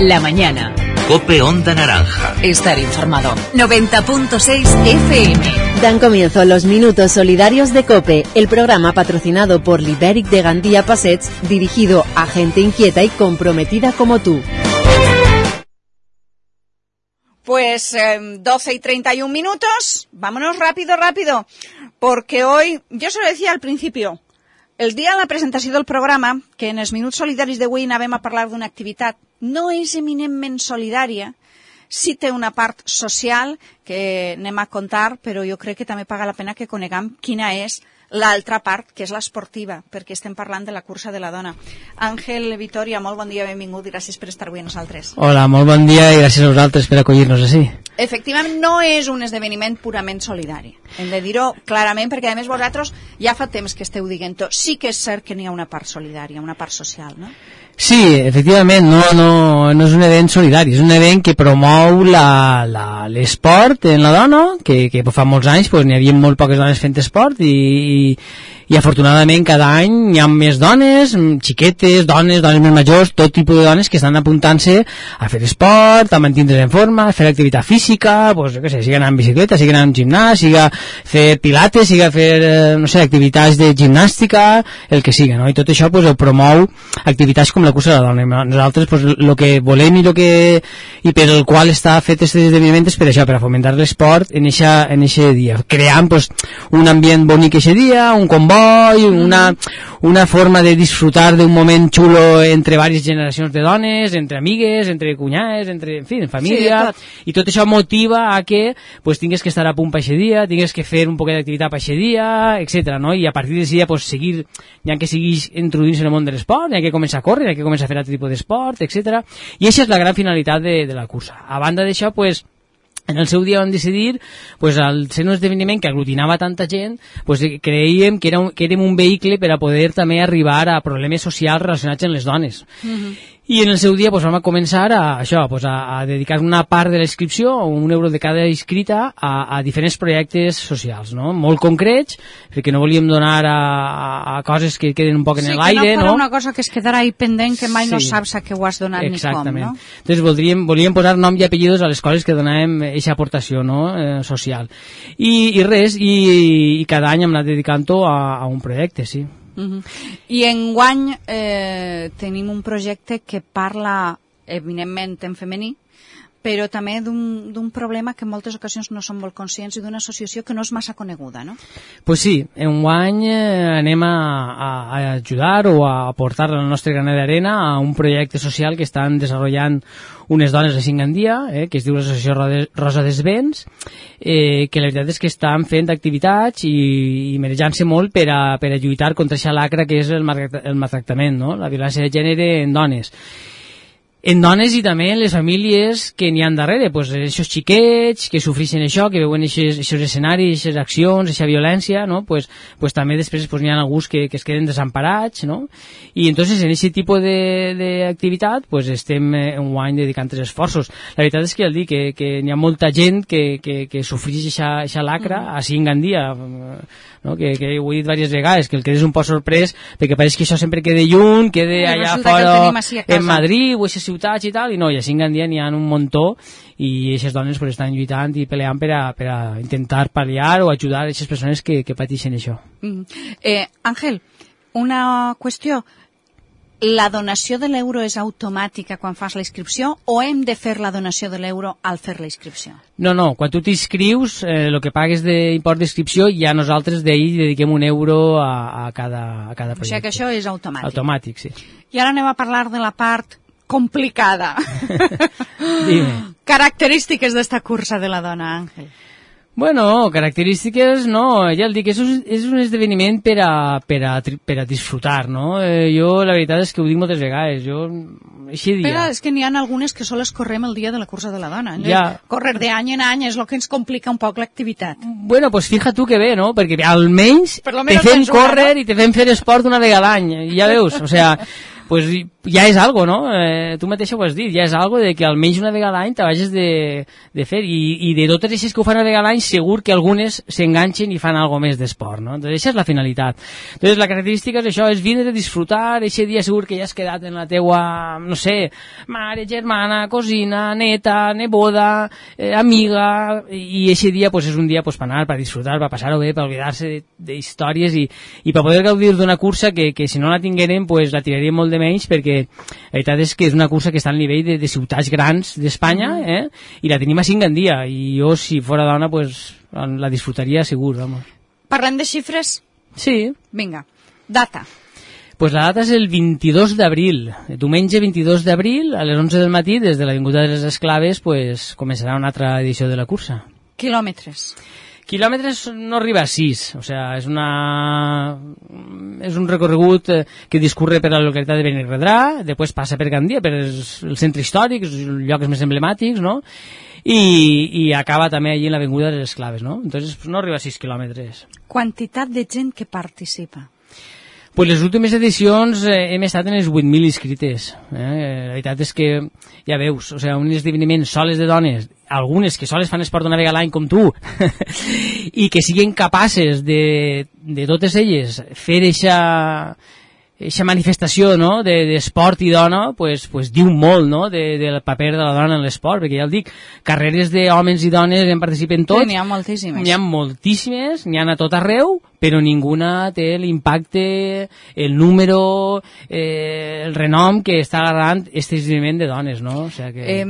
La mañana. COPE Onda Naranja. Estar informado. 90.6 FM. Dan comienzo los Minutos Solidarios de COPE, el programa patrocinado por Liberic de Gandía Passets, dirigido a gente inquieta y comprometida como tú. Pues 12 y 31 minutos, vámonos rápido, porque hoy, yo se lo decía al principio, el dia de la presentació del programa, que en els Minuts Solidaris d'avui anàvem a parlar d'una activitat, no és eminentment solidària, sí té una part social que anem a contar, però jo crec que també paga la pena que coneguem quina és l'altra part, que és l'esportiva, perquè estem parlant de la cursa de la dona. Àngel Vitòria, molt bon dia, benvingut, i gràcies per estar avui amb nosaltres. Hola, molt bon dia i gràcies a vosaltres per acollir-nos així. Efectivament, no és un esdeveniment purament solidari. Hem de dir-ho clarament, perquè a més vosaltres ja fa temps que esteu dient-ho. Sí que és cert que n'hi ha una part solidària, una part social, no? Sí, efectivament, no és un event solidari, és un event que promou l'esport en la dona, que fa molts anys n'hi havia molt poques dones fent esport i afortunadament cada any hi ha més dones, xiquetes, dones més majors, tot tipus de dones que estan apuntant-se a fer esport, a mantindre's en forma, a fer activitat física, jo què sé, sigui anar en bicicleta, sigui anar en gimnàs, sigui fer pilates, sigui fer, no sé, activitats de gimnàstica, el que sigui, no? I tot això ho promou activitats com la cursa de la dona. Nosaltres el que volem i per el qual està fet aquest esdeveniment és per això, per a fomentar l'esport en eixe dia, creant un ambient bonic eixe dia, un comboi, una forma de disfrutar d'un moment xulo entre diverses generacions de dones, entre amigues, entre cunyades, en fi, en família, i tot això motiva a que tingues que estar a punt per aquest dia, tingues que fer un poquet d'activitat per aquest dia, etc. No? I a partir d'aquest dia seguir, ja que siguis introduint-se en el món de l'esport, ja que comença a córrer, ja que comença a fer altre tipus d'esport, etc. I aquesta és la gran finalitat de la cursa. A banda d'això, en el seu dia vam decidir, al ser un esdeveniment que aglutinava tanta gent, creiem que érem un vehicle per a poder també arribar a problemes socials relacionats amb les dones. I en el seu dia vam començar a dedicar una part de la inscripció, €1 de cada inscrita, a diferents projectes socials, no? Molt concrets, perquè no volíem donar a coses que queden un poc en l'aire. Sí, que no fos una cosa que es quedarà ahí pendent, que mai no saps a què ho has donat ni com, no? Entonces volíem posar nom i apellidos a les coses que donàvem aquesta aportació, no? Social. I res, i cada any hem anat dedicant-ho a un projecte, sí. I enguany tenim un projecte que parla eminentment en femení, però també d'un problema que en moltes ocasions no som molt conscients i d'una associació que no és massa coneguda, no? Pues sí, enguany anem a ajudar o a aportar el nostre granet d'arena a un projecte social que estan desenvolupant unes dones de Gandia, que es diu l'Associació Rosa dels Vents, que la veritat és que estan fent activitats i merejant-se molt per a lluitar contra aquesta lacra que és el maltractament, no? La violència de gènere en dones. En dones i també en les famílies que n'hi ha darrere, aquests xiquets que sofreixen això, que veuen aquests escenaris, aquestes accions, aquesta violència, no? També després n'hi ha alguns que es queden desemparats, no? I entonces en aquest tipus d'activitat estem enguany dedicant els esforços. La veritat és que ja dic que n'hi ha molta gent que sofreix aquesta lacra, així en Gandia, no? Que ho he dit diverses vegades, que el que és un poc sorprès, perquè pareix que això sempre queda lluny, queda allà fora en Madrid o a ciutats i tal, i no, i així en Gandia n'hi ha un muntó i aquestes dones estan lluitant i peleant per a intentar pal·liar o ajudar a aquestes persones que pateixen això. Àngel, una qüestió. La donació de l'euro és automàtica quan fas la inscripció o hem de fer la donació de l'euro al fer la inscripció? No, quan tu t'inscrius, el que pagues d'import d'inscripció, ja nosaltres d'ahir dediquem €1 a cada projecte. O sigui que això és automàtic. Automàtic, sí. I ara anem a parlar de la part complicada. Dime. Característiques d'esta cursa de la dona, Àngel. Bueno, característiques, no, ja el dic, és un esdeveniment per a disfrutar, no? Jo, la veritat és que ho dic moltes vegades, així dia... Però és que n'hi ha algunes que sols correm el dia de la cursa de la dona. Ja. Correr d'any en any és el que ens complica un poc l'activitat. Bueno, pues fija tu que bé, no? Perquè almenys te fem córrer i te fem fer esport una vegada a l'any, ja veus, o sea... ja és algo, no? Tu mateixa ho has dit, ja és algo de que almenys una vegada a l'any t'hages de fer, i de totes aquestes que ho fan una vegada a l'any segur que algunes s'enganxen i fan algo més d'esport, no? Entonces, això és la finalitat. Entonces, la característica és això, és vindre a disfrutar, aquest dia segur que ja has quedat en la teua, no sé, mare, germana, cosina, neta, neboda, amiga, i aquest dia pues, és un dia pues, per anar, per disfrutar, per passar-ho bé, per oblidar-se d'històries i per poder gaudir d'una cursa que si no la tinguérem pues, la tiraríem molt de menys, perquè la veritat és que és una cursa que està al nivell de ciutats grans d'Espanya, i la tenim a 5 en dia, i jo si fora dona pues, la disfrutaria segur, vamos. Parlem de xifres? Sí. Vinga, data. Pues la data és el 22 d'abril, diumenge 22 d'abril, a les 11 del matí, des de l'Avinguda de les Esclaves, pues, començarà una altra edició de la cursa. Quilòmetres? Quilòmetres no arriba a 6, o sea, és un recorregut que discurre per la localitat de Benirredrà, després passa per Gandia, per el centre històric, els llocs més emblemàtics, no? I acaba també allí en l'Avinguda de les Esclaves, no? Entonces no arriba a 6 quilòmetres. Quantitat de gent que participa? Pues les últimes edicions hem estat en les 8.000 inscrites. La veritat és que, ja veus, o sigui, un esdeveniment soles de dones, algunes que soles fan esport una vegada a l'any com tu, i que siguin capaces de totes elles fer eixa manifestació, no?, d'esport i dona, pues diu molt, no?, del paper de la dona en l'esport, perquè ja el dic, carreres d'homes i dones en participen tots. Sí, n'hi ha moltíssimes. N'hi ha moltíssimes, n'hi ha a tot arreu, però ninguna té l'impacte, el número, el renom que està agarrant aquest esdeveniment de dones, no? O sigui que...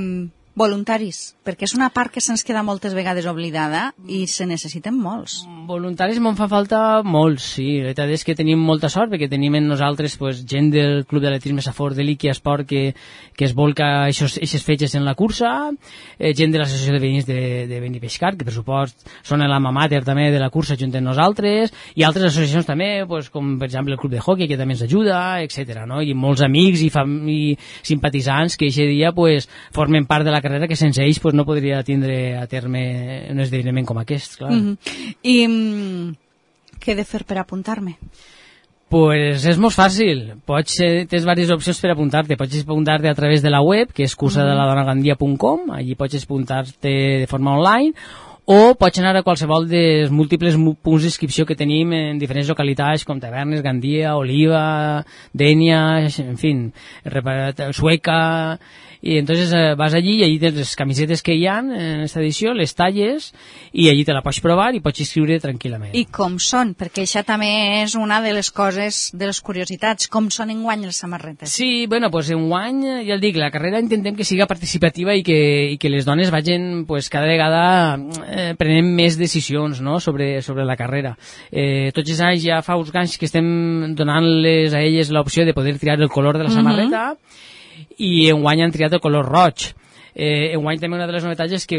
Voluntaris, perquè és una part que se'ns queda moltes vegades oblidada i se necessiten molts. Voluntaris me'n fa falta molts, sí. La veritat és que tenim molta sort perquè tenim en nosaltres pues, gent del Club d'Atletisme Safor de l'Iqui Esport que es volca aquestes fetges en la cursa, gent de l'Associació de Veïns de Benipeixcar, que per supost són l'alma mater també de la cursa junt amb nosaltres, i altres associacions també, pues, com per exemple el Club de Hockey, que també ens ajuda, etc. No? I molts amics i simpatitzants que aquest dia pues, formen part de la carrera que sense ells pues, no podria tindre a terme un esdeveniment com aquest, clar. I què he de fer per apuntar-me? Pues és molt fàcil. Tens diverses opcions per apuntar-te. Pots apuntar-te a través de la web, que és cursadeladonagandia.com, allí pots apuntar-te de forma online, o pots anar a qualsevol dels múltiples punts d'inscripció que tenim en diferents localitats com Tavernes, Gandia, Oliva, Dénia, en fi, Sueca, i entonces vas allí i allí tens les camisetes que hi ha en aquesta edició, les talles, i allí te la pots provar i pots inscriure tranquil·lament. I com són? Perquè això també és una de les coses, de les curiositats, com són enguany les samarretes? Sí, bueno, pues enguany, ja el dic, la carrera intentem que siga participativa i que les dones vagin pues, cada vegada prenent més decisions, no?, sobre la carrera. Tots els anys ja fa uns anys que estem donant-les a elles l'opció de poder triar el color de la samarreta, i enguany han triat el color roig. Enguany també una de les novetats és que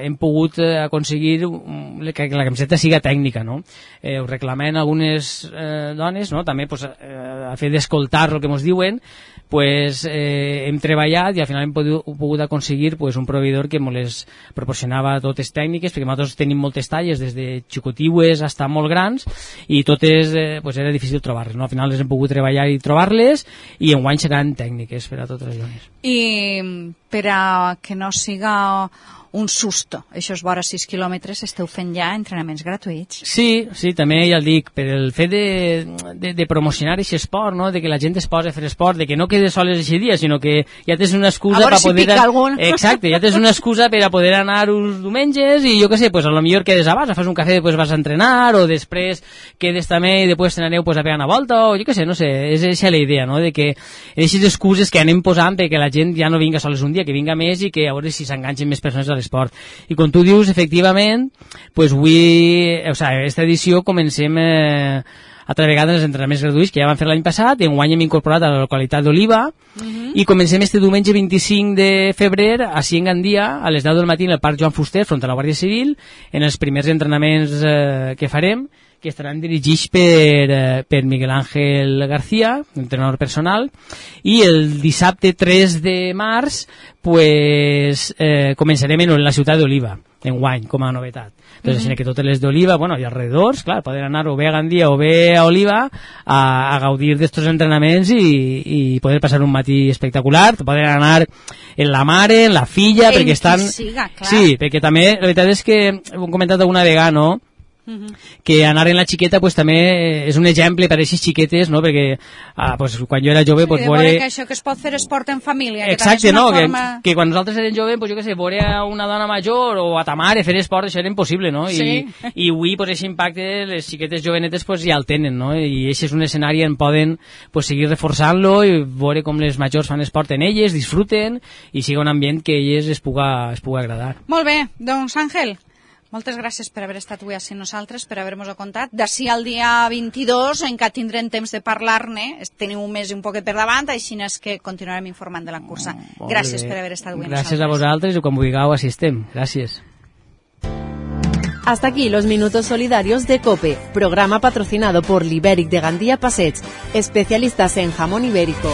hem pogut aconseguir que la camiseta siga tècnica, no? Ho reclamen algunes dones, no? També pues, a fer d'escoltar el que ens diuen, pues, hem treballat i al final hem pogut aconseguir pues, un proveïdor que ens les proporcionava totes tècniques, perquè nosaltres tenim moltes talles, des de xicotiues fins a molt grans, i totes pues, era difícil trobar-les, no? Al final les hem pogut treballar i trobar-les, i enguany seran tècniques per a totes les dones. I per a que no siga un susto, això és vora 6 quilòmetres, esteu fent ja entrenaments gratuïts. Sí, també ja el dic, per el fet de promocionar aquest esport, no? De que la gent es posa a fer esport, de que no quedes soles aquest dia, sinó que ja tens una excusa per poder... pica algun. Exacte, ja tens una excusa per a poder anar uns diumenges i jo què sé, pues a lo millor quedes abans, fas un cafè, després vas a entrenar, o després quedes també i després t'aneu pues, a pegar una volta, o jo què sé, no sé, és aquesta la idea, no? De que aquestes excuses que anem posant perquè la gent ja no vinga soles un dia, que vinga més i que a veure si s'enganxen més persones a l'esport. I com tu dius, efectivament, pues avui, o sigui, aquesta edició comencem altra vegada els entrenaments gratuïts que ja van fer l'any passat, i enguany hem incorporat a la localitat d'Oliva, i comencem este diumenge 25 de febrer a Gandia, a les 10 del matí en el Parc Joan Fuster, front a la Guàrdia Civil, en els primers entrenaments que farem, que estaran dirigits per Miguel Ángel García, entrenador personal, i el dissabte 3 de març pues, començarem en la ciutat d'Oliva. enguany, com a novetat. Entonces, que totes les d'Oliva, bueno, i alrededors, clar, poden anar o bé a Gandia o bé a Oliva a gaudir d'estos entrenaments i poder passar un matí espectacular, poden anar en la mare, en la filla, perquè estan... Siga, clar. Sí, perquè també, la veritat és que ho hem comentat alguna vegada, no?, que anar en la xiqueta pues, també és un exemple per a aquestes xiquetes, no? Perquè pues, quan jo era jove pues, veure que això que es pot fer esport en família, exacte, que no? forma... que quan nosaltres érem joves pues, jo què sé, veure a una dona major o a ta mare fer esport, això era impossible, no? Sí. I avui pues, aquest impacte les xiquetes jovenetes pues, ja el tenen, no? I aquest és un escenari en poden pues, seguir reforçant-lo i veure com les majors fan esport en elles, disfruten i sigui un ambient que a elles es puga agradar. Molt bé, doncs Àngel, moltes gràcies per haver estat avui així nosaltres, per haver-nos-ho contat. D'ací al dia 22 encara tindrem temps de parlar-ne, tenim un mes i un poquet per davant, així és que continuarem informant de la cursa. Gràcies per haver estat avui gràcies nosaltres. A vosaltres i quan vulgueu així estem. Gràcies. Hasta aquí los minutos solidarios de COPE, programa patrocinado por Liberic de Gandía Passets, especialistas en jamón ibérico.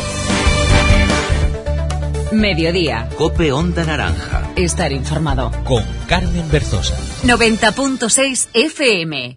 Mediodía. Cope Onda Naranja. Estar informado. Con Carmen Berzosa. 90.6 FM.